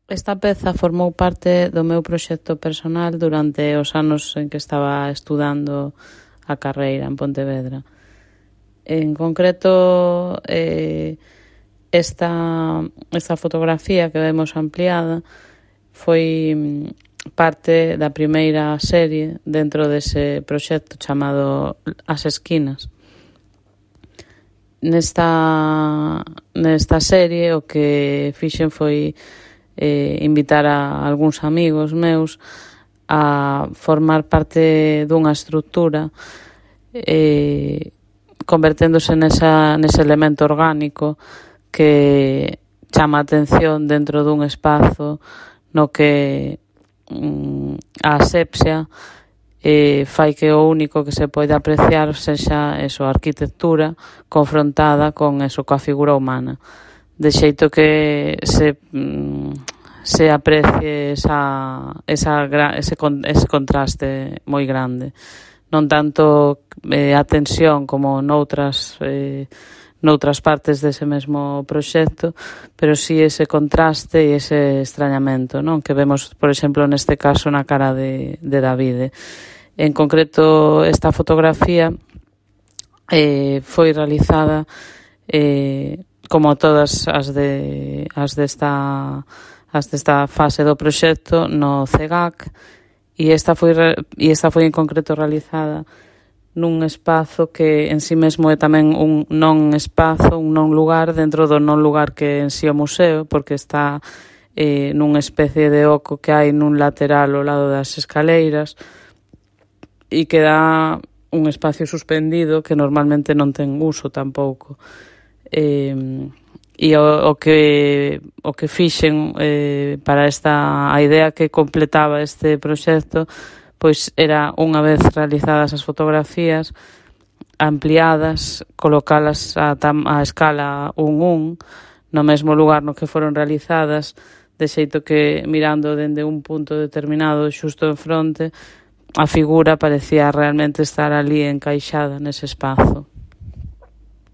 Esta peza formou parte do meu proxecto personal durante os anos en que estaba estudando a carreira en Pontevedra. En concreto, esta fotografía que vemos ampliada foi parte da primeira serie dentro dese proxecto chamado As Esquinas. Nesta serie o que fixen foi invitar a algúns amigos meus a formar parte dunha estrutura converténdose nese elemento orgánico que chama a atención dentro dun espazo no que a asepsia fai que o único que se poida apreciar sexa a arquitectura confrontada con coa figura humana, de xeito que se aprecie ese contraste moi grande. Non tanto a tensión como noutras partes dese mesmo proxecto, pero sí ese contraste e ese extrañamento, non? Que vemos, por exemplo, neste caso na cara de Davide. En concreto, esta fotografía foi realizada como todas as desta fase do proxecto no CEGAC, e esta foi en concreto realizada nun espazo que en si mesmo é tamén un non espazo, un non lugar dentro do non lugar que en si o museo, porque está nunha especie de oco que hai nun lateral ao lado das escaleiras e que dá un espacio suspendido que normalmente non ten uso tampouco. E o que fixen para a idea que completaba este proxecto, pois era, unha vez realizadas as fotografías, ampliadas, colocalas a escala 1:1 no mesmo lugar no que foron realizadas, de xeito que mirando dende un punto determinado xusto en fronte, a figura parecía realmente estar ali encaixada nese espazo.